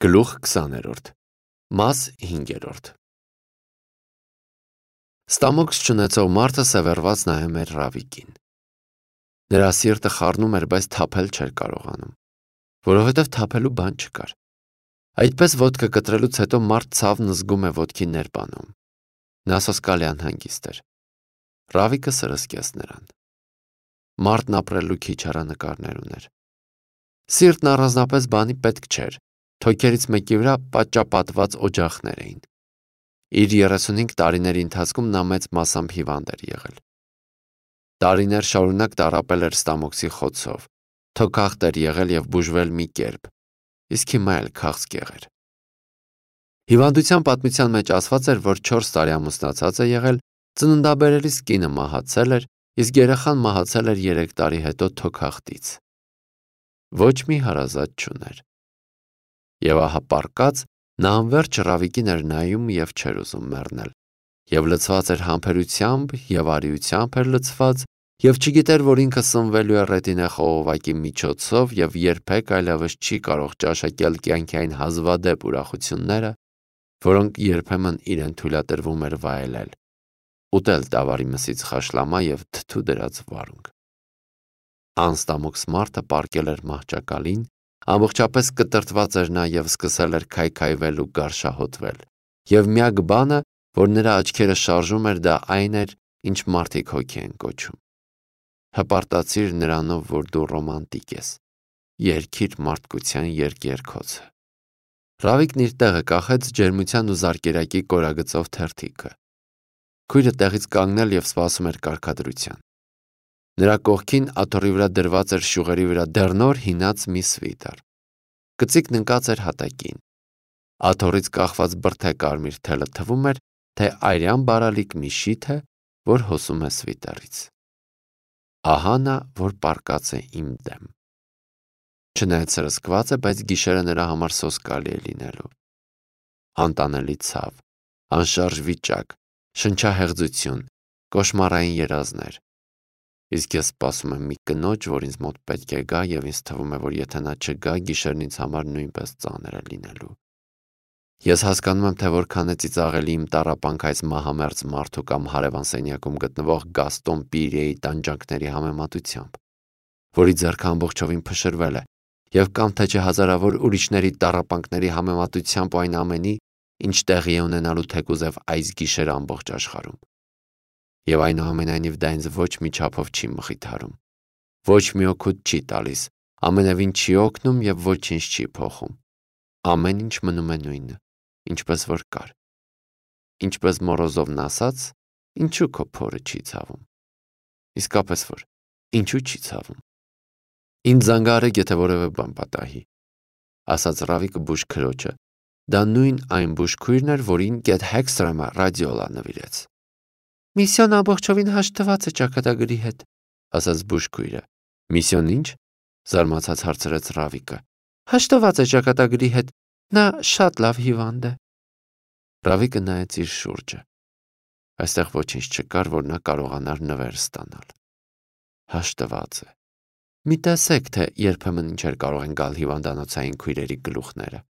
Գլուխ 20-րդ Մաս 5-րդ Ստամոքս չունեցող մարդը սևեռված նայում էր Ռավիկին։ Նրա սիրտը խառնում էր, բայց թափել չէր կարողանում, որովհետև թափելու բան չկար։ Այդպես ոտքը կտրելուց հետո մարդ ցավն զգում է ոտքի ներբանում։ Նա սոսկալի անհանգիստ էր։ Ռավիկը սրսկեց նրան։ Մարդն ապրելու քիչ հեռանկարներ ուներ։ Սիրտն առանձնապես բանի պետք չէր։ Թոքերից մեկի վրա պատճապատված օջախներ էին։ Իր 35 տարիների ընթացքում նա մեծ մասամբ հիվանդ էր եղել։ Տարիներ շարունակ տառապել էր ստամոքսի խոցով, թոքախտ էր եղել և բուժվել մի կերպ, իսկ հիմա էլ քաղցկեղ էր։ Հիվանդության պատմության մեջ ասված էր, որ 4 տարի ամուսնացած է եղել, ծննդաբերելիս կինը մահացել էր, իսկ երեխան մահացել էր 3 տարի հետո թոքախտից։ Ոչ մի հարազատ չուներ։ Եվ ահա պառկած, նա անվերջ Ռավիկին էր նայում և չէր ուզում մեռնել, և լցված էր համբերությամբ և արիությամբ էր լցված, և չգիտեր, որ ինքը սնվելու է ռետինե խողովակի միջոցով և երբեք այլևս չի կարող ճաշակել կյանքի այն հազվադեպ ուրախությունները, որոնք երբեմն իրեն թույլատրվում էր վայելել, ուտել տավարի մսից խաշլամա և թթու դրած վարունգ։ Անստամոքս մարդը պառկել էր մահճակալին, ամբողջապես կտրտված էր նա և սկսել էր քայքայվել ու գարշահոտվել, և միակ բանը, որ նրա աչքերը շարժում էր, դա այն էր, ինչ մարդիկ հոգի են կոչում։ Հպարտացիր նրանով, որ դու ռոմանտիկ ես, երգիր մարդկության երկերքոցը։ Ռավիկն իր տեղը կախեց ջերմության ու զարկերակի կորագծով թերթիկը։ Քույրը տեղից կանգնել և սպասում էր կարգադրության։ Նրա կողքին աթոռի վրա դրված էր շյուղերի վրա դեռնոր հինած մի սվիտեր։ Կծիկն ընկած էր հատակին։ Աթոռից կախված բրդե կարմիր թելը թվում էր, թե այրյան բարալիկ մի շիթ է, որ հոսում է սվիտերից։ Ահա նա, որ պառկած է իմ դեմ։ Չնայած սրսկված է, բայց գիշերը նրա համար սոսկալի է լինելու։ Անտանելի ցավ, անշարժ վիճակ, շնչահեղձություն, կոշմարային երազներ։ Իսկ ես սպասում եմ մի կնոջ, որ ինձ մոտ պետք է գա, և ինձ թվում է, որ եթե նա չգա, գիշերն ինձ համար նույնպես ծանր է լինելու։ Ես հասկանում եմ, թե որքան է ծիծաղելի իմ տառապանքը այս մահամերձ մարդու կամ հարևան սենյակում գտնվող Գաստոն Պիրիեի տանջանքների համեմատությամբ, որի ձեռքը ամբողջովին փշրվել է, և կամ թե չէ հազարավոր ուրիշների տառապանքների համեմատությամբ այն ամենի, ինչ տեղի է ունենալու թեկուզև այս գիշեր ամբողջ աշխարհում։ Եվ այնուամենայնիվ դա ինձ ոչ մի չափով չի մխիթարում, ոչ մի օգուտ չի տալիս, ամենևին չի օգնում և ոչինչ չի փոխում։ Ամեն ինչ մնում է նույնը, ինչպես որ կար։ Ինչպես Մորոզովն ասաց, ինչու քո փորը չի ցավում։ Իսկապես որ, ինչու չի ցավում։ Ինձ զանգահարեք, եթե որևէ բան պատահի, ասաց Ռավիկը բուժքրոջը։ Դա նույն այն բուժքույրն էր, որին Գետ Հեքստրեմը ռադիոլա նվիրեց։ Միսիոն ամբողջովին հաշտված է ճակատագրի հետ, ասաց բուժքույրը։ Միսիոն ինչ, զարմացած հարցրեց Ռավիկը։ Հաշտված է ճակատագրի հետ, նա շատ լավ հիվանդ է։ Ռավիկը նայեց իր շուրջը։ Այստեղ ոչինչ չկար, որ նա կարողանար նվեր ստանալ։ Հաշտված է։ Մի տեսեք, թե երբեմն ինչեր կարող են գալ հիվանդանոցային քույրերի գլուխները։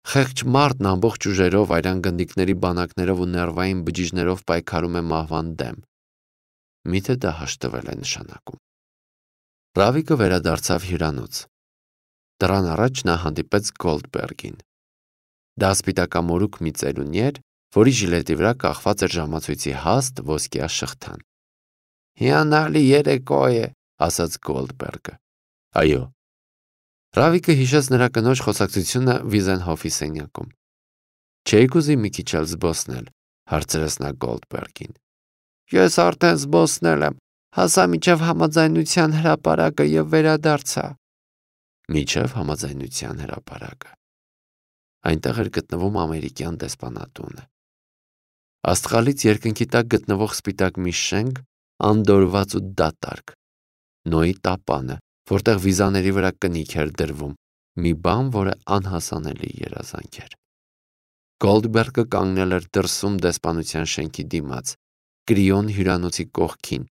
Խեղճ մարդն ամբողջ ուժերով, այրան գնդիկների բանակներով ու ներվային բջիջներով պայքարում է մահվան դեմ։ Միթե դա հաշտվել է նշանակում։ Ռավիկը վերադարձավ հյուրանոց։ Դռան առաջ նա հանդիպեց Գոլդբերգին։ Դա սպիտակամորուք մի ծերունի էր, որի ժիլետի վրա կախված էր ժամացույցի հաստ ոսկյա շղթան։ Հիանալի երեկո է, ասաց Գոլդբերգը։ Այո։ Ռավիկը հիշեց նրա կնոջ խոսակցությունը Վիզենհոֆի սենյակում։ Չէիք ուզի մի քիչ էլ զբոսնել, հարցրեց նա Գոլդբերգին։ Ես արդեն զբոսնել եմ, հասա մինչև համաձայնության հրապարակը և վերադարձա։ Մինչև համաձայնության հրապարակը։ Այնտեղ էր գտնվում ամերիկյան դեսպանատունը։ Աստղալից երկնքի տակ գտնվող սպիտակ մի շենք, անդորրված ու դատարկ։ Նոյի տապանը, որտեղ վիզաների վրա կնիք էր դրվում, մի բան, որը անհասանելի երազանք էր։ Գոլդբերգը կանգնել էր դրսում դեսպանության շենքի դիմաց, Կրիոն հյուրանոցի կողքին,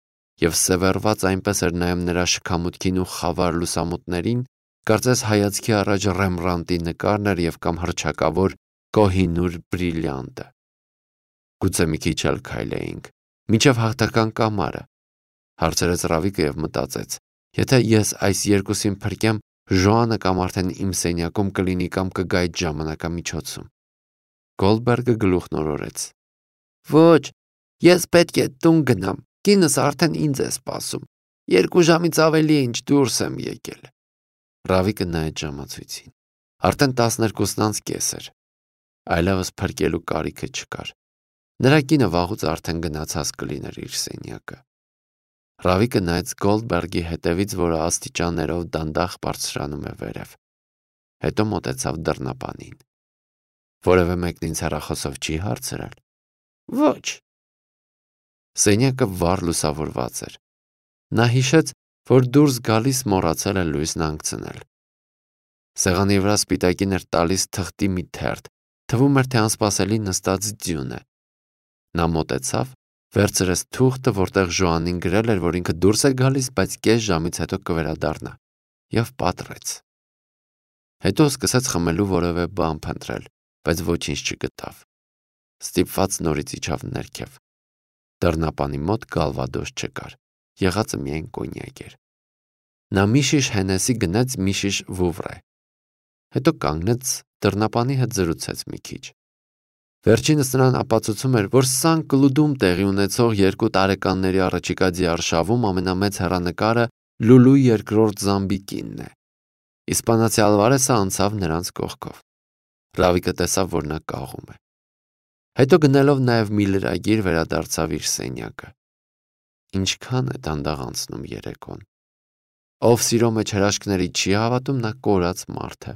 և սևեռված այնպես էր նայում նրա շքամուտքին ու խավար լուսամուտներին, Կարծես հայացքի առաջ Ռեմբրանտի նկարն էր և կամ հռչակավոր Կոհինուր բրիլյանտը։ Գուցե մի քիչ էլ քայլեինք, մինչև հաղթական կամարը, հարցրեց Ռավիկը և մտածեց. եթե ես այս երկուսին փրկեմ, Ժոանը կամ արդեն իմ սենյակում կլինի կամ կգա այդ ժամանակամիջոցում։ Գոլդբերգը գլուխն օրորեց. Ոչ, ես պետք է տուն գնամ, կինս արդեն ինձ է սպասում, 2 ժամից ավելի է ինչ դուրս եմ եկել։ Ռավիկը նայեց ժամացույցին, արդեն 12:30 էր, այլևս փրկելու կարիքը չկար, նրա կինը վաղուց արդեն գնացած կլիներ իր սենյակը։ Ռավիկը նայեց Գոլդբերգի հետևից, որը աստիճաններով դանդաղ բարձրանում է վերև, հետո մոտեցավ դռնապանին։ Որևէ մեկն ինձ հեռախոսով չի հարցրել։ Ոչ։ Սենյակը վառ լուսավորված էր։ Նա հիշեց, որ դուրս գալիս մոռացել է լույսն հանգցնել։ Սեղանի վրա սպիտակին էր տալիս թղթի մի թերթ, թվում էր, թե անսպասելի նստած ձյուն է։ Նա մոտեցավ, վերցրեց թուղթը, որտեղ Ժոանին գրել էր, որ ինքը դուրս է գալիս, բայց կես ժամից հետո կվերադառնա, և պատռեց։ Հետո սկսեց խմելու որևէ բան փնտրել, բայց ոչինչ չգտավ։ Ստիպված նորից իջավ ներքև։ Դռնապանի մոտ գալվադոս չկար, եղածը միայն կոնյակ էր։ Նա մի շիշ Հենեսի գնեց, մի շիշ Վուվրե։ Հետո կանգնեց, դռնապանի հետ զրուցեց մի քիչ։ Վերջինս նրան ապացուցում էր, որ Սան-Կլուդում տեղի ունեցող 2 տարեկանների առաջիկա ձիարշավում ամենամեծ հեռանկարը Լուլու երկրորդ Զամբիկինն է։ Իսպանացի Ալվարեսը անցավ նրանց կողքով։ Ռավիկը տեսավ, որ նա կաղում է։ Հետո գնելով նաև մի լրագիր վերադարձավ իր սենյակը։ Ինչքան է դանդաղ անցնում երեկոն։ Ով սիրո մեջ հրաշքների չի հավատում, նա կորած մարդ է։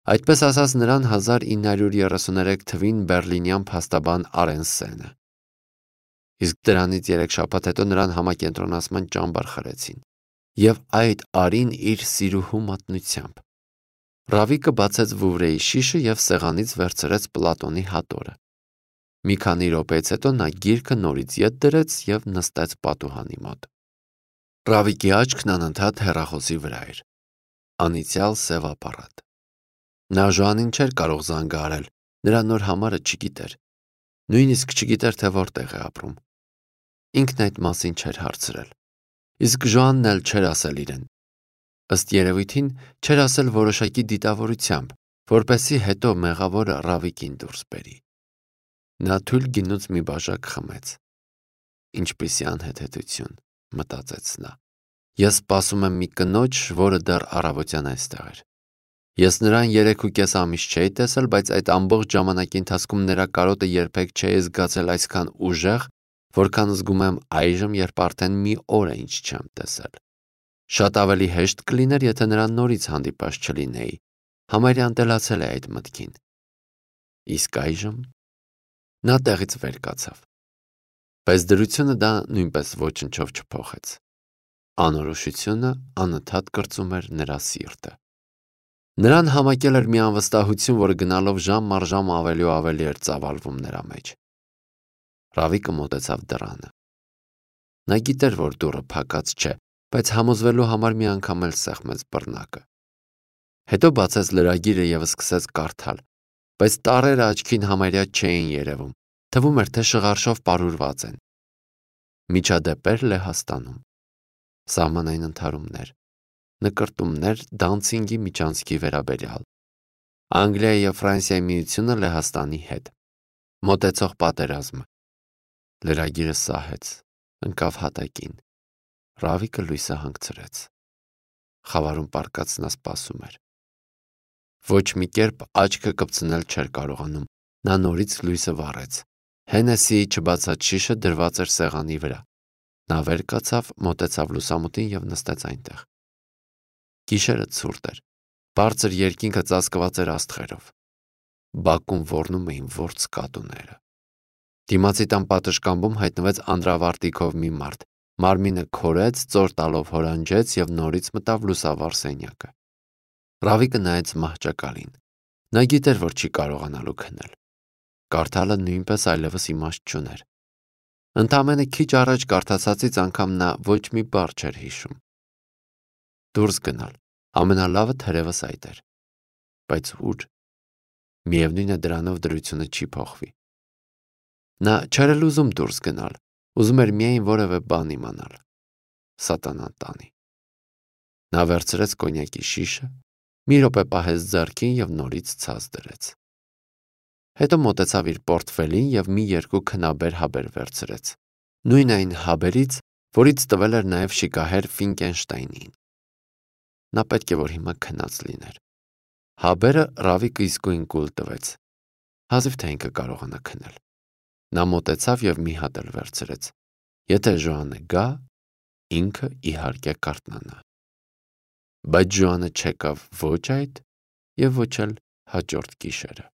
Այդպես ասաց նրան 1933 թվին բերլինյան փաստաբան Արենսենը։ Իսկ դրանից 3 շաբաթ հետո նրան համակենտրոնացման ճամբար խրեցին։ Եվ այդ արին իր սիրուհու մատնությամբ։ Ռավիկը բացեց Վուվրեի շիշը և սեղանից վերցրեց Պլատոնի հատորը։ Մի քանի րոպեից հետո նա գիրքը նորից ետ դրեց և նստեց պատուհանի մոտ։ Ռավիկի աչքն անընդհատ հեռախոսի վրա էր։ Անիծյալ սև ապարատ։ Նա Ժոանին չէր կարող զանգահարել, նրա նոր համարը չգիտեր։ Նույնիսկ չգիտեր, թե որտեղ է ապրում։ Ինքն այդ մասին չէր հարցրել։ Իսկ Ժոանն էլ չէր ասել իրեն։ Ըստ երևույթին չէր ասել որոշակի դիտավորությամբ, որպեսզի հետո մեղավորը Ռավիկին դուրս բերի։ Նա թույլ գինուց մի բաժակ խմեց։ Ինչպիսի անհեթեթություն, մտածեց նա։ Ես սպասում եմ մի կնոջ, որը դեռ առավոտյան այստեղ էր։ Ես նրան 3.5 ամիս չէի տեսել, բայց այդ ամբողջ ժամանակի ընթացքում նրա կարոտը երբեք չէի զգացել այսքան ուժեղ, որքան զգում եմ այժմ, երբ արդեն մի օր է ինչ չեմ տեսել։ Շատ ավելի հեշտ կլիներ, եթե նրան նորից հանդիպած չլինեի։ Համարյա ընտելացել է այդ մտքին։ Իսկ այժմ նա տեղից վեր կացավ։ Բայց դրությունը դա նույնպես ոչնչով չփոխեց։ Անորոշությունը անընդհատ կրծում էր նրա սիրտը։ Նրան համակել էր մի անվստահություն, որը գնալով ժամ առ ժամ ավելի ու ավելի էր ծավալվում նրա մեջ։ Ռավիկը մոտեցավ դռանը։ Նա գիտեր, որ դուռը փակած չէ, բայց համոզվելու համար մի անգամ էլ սեղմեց բռնակը։ Հետո բացեց լրագիրը և սկսեց կարդալ, բայց տառերը աչքին համարյա չէին երևում, թվում էր, թե շղարշով պարուրված են։ Միջադեպեր Լեհաստանում, սահմանային ընդհարումներ, նկրտումներ Դանցինգի միջանցքի վերաբերյալ, Անգլիայի և Ֆրանսիայի միությունը Լեհաստանի հետ, մոտեցող պատերազմը։ Լրագիրը սահեց, ընկավ հատակին։ Ռավիկը լույսը հանգցրեց։ Խավարում պառկած նա սպասում էր։ Ոչ մի կերպ աչքը կպցնել չէր կարողանում։ Նա նորից լույսը վառեց։ Հենեսիի չբացած շիշը դրված էր սեղանի վրա։ Նա վեր կացավ, մոտեցավ լուսամուտին և նստեց այնտեղ։ Գիշերը ցուրտ էր։ Բարձր երկինքը ծածկված էր աստղերով։ Բակում ոռնում էին որց կատուները։ Դիմացի տան պատշգամբում հայտնվեց անդրավարտիքով մի մարդ։ Մարմինը քորեց, ծոր տալով հորանջեց և նորից մտավ լուսավառ սենյակը։ Ռավիկը նայեց մահճակալին։ Նա գիտեր, որ չի կարողանալու քնել։ Կարդալը նույնպես այլևս իմաստ չուներ։ Ընդամենը քիչ առաջ կարդացածից անգամ նա ոչ մի բառ չէր հիշում։ Դուրս գնալ, Ամենալավը թերևս այդ էր։ Բայց ուր։ Միևնույն է դրանով դրությունը չի փոխվի։ Նա չէր էլ ուզում դուրս գնալ, ուզում էր միայն որևէ բան իմանալ։ Սատանան տանի։ Նա վերցրեց կոնյակի շիշը, մի րոպե պահեց ձեռքին և նորից ցած դրեց։ Հետո մոտեցավ իր պորտֆելին և մի երկու քնաբեր հաբեր վերցրեց։ Նույն այն հաբերից, որից տվել էր նաև շիկահեր Ֆինկենշտայնին։ Նա պետք է որ հիմա քնած լիներ։ Հաբերը Ռավիկը իսկույն կուլ տվեց։ Հազիվ թե ինքը կարողանա քնել։ Նա մոտեցավ և մի հատ էլ վերցրեց։ Եթե Ժոանը գա, ինքը իհարկե կարթնանա։ Բայց Ժոանը չեկավ ոչ այդ և ոչ էլ հաջորդ գիշերը։